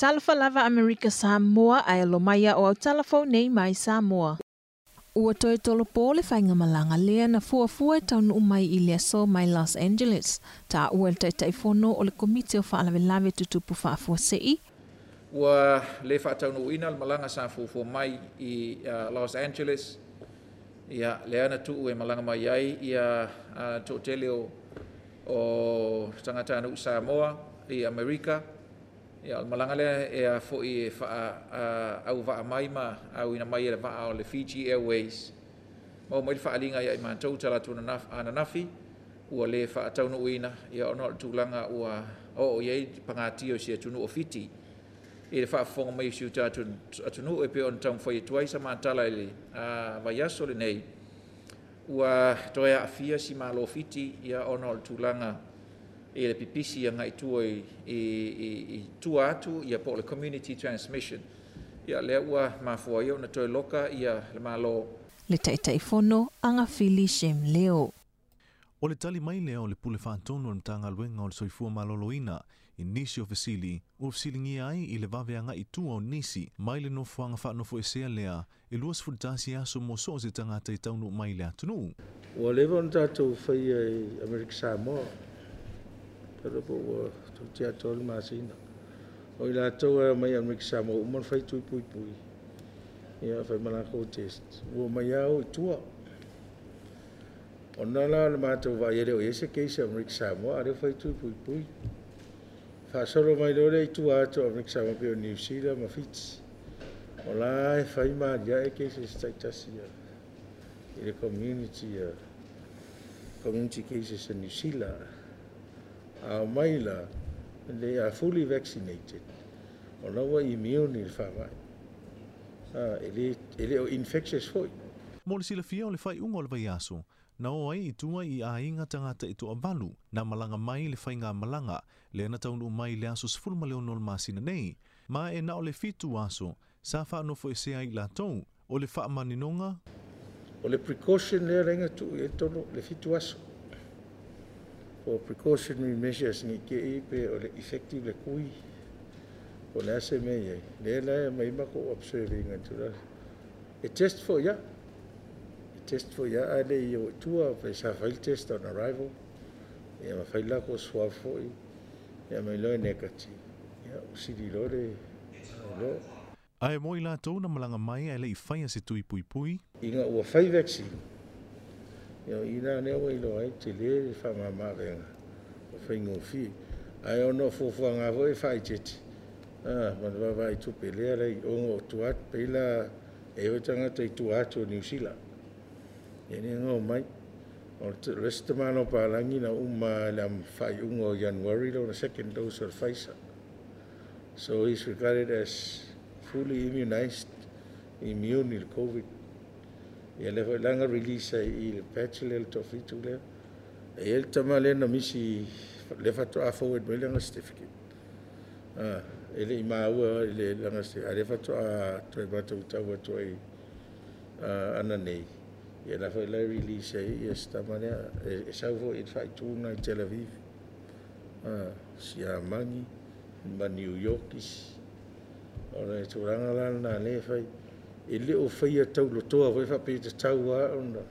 Talofa lava Amerika Samoa ae alo mai o Autala Fou nei mai Samoa. Ua toe tolopo le faigamalaga lea na fuafua e taunuu mai i le aso mai Los Angeles. Taua e le Taitaifono o le Komiti o Faalavelave Tutupu Faafuasei. Ua le faataunuuina le malaga sa fuafua mai i Los Angeles, ia lea na tuu e malaga mai ai ia toatele o tagatanuu Samoa i Amerika. Ia o le malaga lea e a foi e faauvaa mai ma auina mai e le vaa o le Fiji Airways. Maua mai le faaliga ia i matou talaatu ananafi ua le faataunuuina, ia ona o le tulaga ua oo i ai pagatia o si atunuu o Fiti i le faafofoga mai o si o tatou atunuu e pei ona taumafai atu ai sa matala i le vaiaso lenei. Ua toe aafia si Malo Fiti, ia ona o le tulaga i le pipisi agai tua i tua atu, ia po o le community transmission. Ia lea ua mafua ai ona toe loka ia le Malo. Le Taitaifono Agafili Shem Leo. O le tali mai lea o le Pule Faatonu o le Matagaluega o le Soifua Maloloina i nisi o fesili ua fesiligia ai i le vave agai i tua o nisi mai le nofoaga faanofoesea lea e 21 aso mo so o se tagata e taunuu mai i le atunuu. Ua leva ona tatou faia i Amerika Samoa, talo po ua toeitiiti atoa le masina. O i latou e omai Amerika Samoa uma ona fai tui puipui, ia fai ma lakou test, ua omai lava o i tua. Ona la o le matou vaai e le o i ai se case Amerika Samoa, a o lea ua fai tui puipui. Faasolo mai loa lea i tua atu o Amerika Samoa pei o New Zealand ma Fiti. O la e fai ma aliae cases taitasi i le community, community cases in New Zealand. A omai la, they are fully vaccinated. O la ua immune i le faamai. E le o infectious foi. Mo le silafia o le faaiuga o le vaiaso, na o ai i tua i aiga tagata e toavalu na malaga mai le faigamalaga lea na taunuu mai i le aso 16 o le masina nei, ma e na o le 7 aso sa faanofoesea ai latou o le faamaninoga. O le precaution lea laina tuu i ai tolu le 7 aso. For precautionary measures ni ke i pe o le effective le kui. O le ase mea i ai. Lea la e mai mako observing atu la. E test for ya. E test for ya a le i o tua pe sa fai le test on arrival. Ia ma fai la ko swab foi. Ia mai loa e negative. Ia o sili loa le lo. Ae mo i latou na malaga mai ae le i faia se tui puipui. Ina ua fai vaccine. Ia ina nea ua iloa ai te le le faamamaavega o faigofie. Ae ona o fuafuaga foi e faaitiiti. Ma le vaavaai tupe lea lai ona o tua atu, pei la e o tagata i tua atu o New Zealand. Ia ni ngau mai. O le isi tamalo palangi na uma le am faaiuga o January lona second dose of Pfizer. So he's regarded as fully immunized, immune i le COVID. Ia le foi langa release ai i le patch lea le toafitu lea. E i ai le tama lea na misi le faatoa forward mai lana certificate. E le i maua i le lana certificate, a le faatoa toe matautau atu ai ana nei. Ia la foi la release ai ia se tama lea e sau foi i le faaituna i Tel Aviv, Siamani ma New York isi. O le tulaga la lena lea e fai. E le o faia taulotoa foi faapea tatau lava ona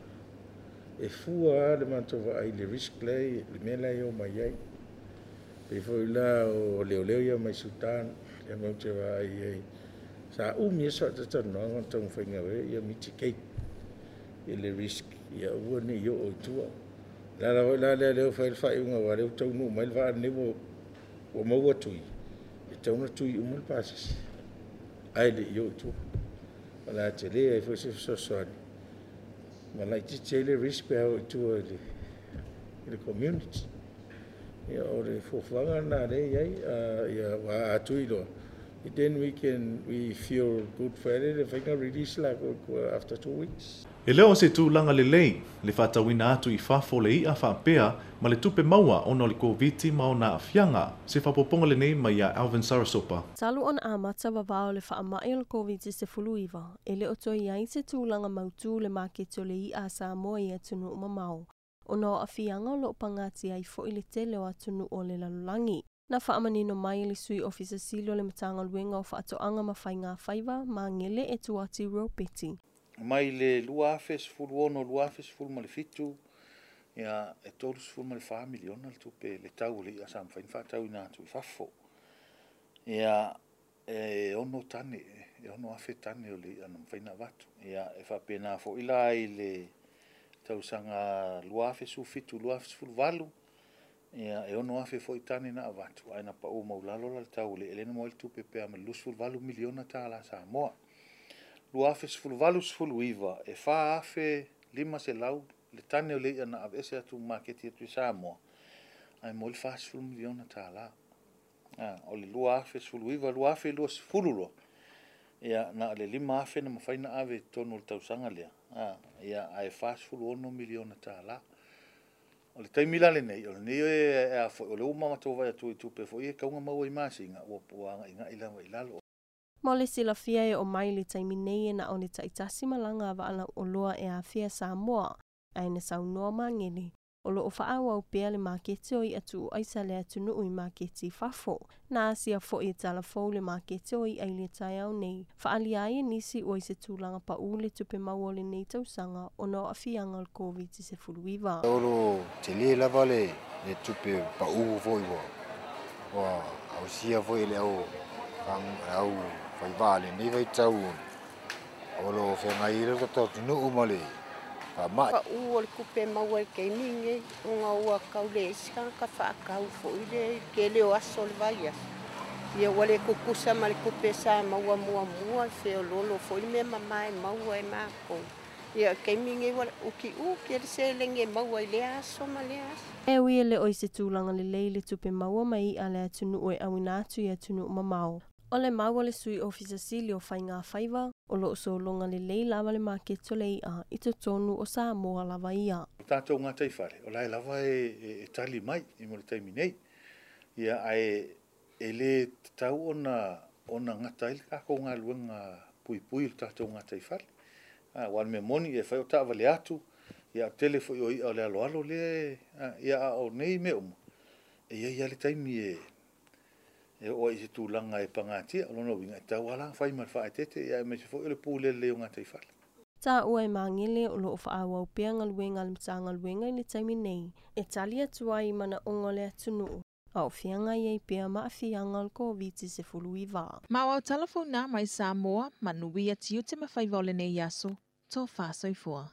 e fua lava le matou vaai i le risk lea le mea la e omai ai. Pei foi la o leoleo ia mai Sudan, ia matou te vaai ai. Sa umi e faatatalanoaga ona taumafaiga ia mitigate i le risk ia aua ne i oo i tua. La la foi la lea lea ua fai le faaiuga aua lea ua taunuu mai le vaa lenei ua maua tui, e tatau ona tui uma le pasese ae le i oo i tua. O le a tele ai foi se fesoasoani ma laitiiti ai le risk pe a oo i tua i le community. Ia o le fuafuaga lena lea e i ai, ia ua a tui loa. Then we feel good for it, le faiga release la after 2 weeks. E le o se tulaga lelei le faatauina atu i fafo le i'a faapea ma le tupe maua ona o le Koviti ma ona aafiaga. Se faaopoopoga lenei mai ia Alvin Sarasopa. Talu ona amata vavao le faamai o le COVID-19, e le o toe i ai se tulaga mautū le maketi o le i'a a Samoa i atunuu mamao. Ona o aafiaga o loo pagatia ai foi le tele o atunuu o le lalolagi. Na faamanino mai le sui ofisa sili o le Matagaluega o Faatoaga ma Faiga Faiva Magele Etuati Ropeti. Mai le 2016 2017, ia, e 34 miliona le tupe le tau o le i'a sa mafai ona faatauina atu i fafo. Ia, e 6 tane, e 6,000 tane o le i'a na mafai ona avatu. Ia, e faapena foi la i le tausaga 2017 2018, ia, e 6,000 foi tane na avatu, ae na pau maualalo la le tau o le i'a lea na maua ai le tupe pe a ma le 28 miliona tala Samoa. 2018 19, e 4,500 le tane o le i'a na aveese atu maketi atu i Samoa, ae maua ai le 40 miliona tala. O le 2019 2020 loa, ia, na o le 5,000 na mafai ona ave i totonu o le tausaga lea, ia, ae 46 miliona tala. O le taimi la lenei, o lenei e a foi, o lea ua matou vaai atu i tupe foi e tatau ona maua i masina, ua agaigai lava i lalo. Mo le silafia e oo mai le taimi nei e na o le taitasi malaga a vaalau oloa e afea Samoa, ae na saunoa Magele o loo faaauau pea le maketi o i'a tuu aisa a le atunuu i maketi i fafo. Na asia foi e talafou le maketi o i'a i le taeao nei, faaalia ai e nisi ua i se tulaga paū le tupe maua o lenei tausaga ona o aafiaga o le Koviti-19. O lo tele lava le tupe paū foi ua ausia foi e le au faivaa lenei vaitau o lo feagai ai le tatou atunuu ma le faamai. Pau o le tupe maua i le taimi lenei, ona ua tau leai se tagata faatau foi le tele o aso o le vaiaso. Ia ua le tutusa ma le tupe sa maua muamua, e feololo foi le mea mama e maua e matou. Ia o le taimi lenei ua utiuti le seleni e maua i lea aso ma lea aso. E ui e le o i se tulaga lelei le tupe maua mai i'a a le atunuu e auina atu i atunuu mamao. O le mau a le sui ofisa sili o Faiga Faiva, o loo sologa lelei lava le maketi o le i'a i totonu o Samoa lava ia. O tatou gataifale, o la e lava e tali mai i mo le taimi nei. Ia, ae e le tatau ona gata ai le tatou galuega puipui i le tatou gataifale. Aua o le mea moni e fai o taavale atu, ia o le tele foi o i'a o le aloalo lea, ia a o nei mea uma, e i ai lava le taimi e oo ai i se tulaga e pagatia. O lona uiga, e tatau lava la ona fai ma le faaeteete, ia aemaise foi o le pule lelei o gataifale. Taua e Magele o loo faaauau pea galuega a le Matagaluega i le taimi nei e tali atu ai i manaoga o le atunuu a o feagai ai pea ma aafiaga o le Koviti-19. Ma o au talafou na mai Samoa, manuia tiute ma faiva o lenei aso, tofa soifua.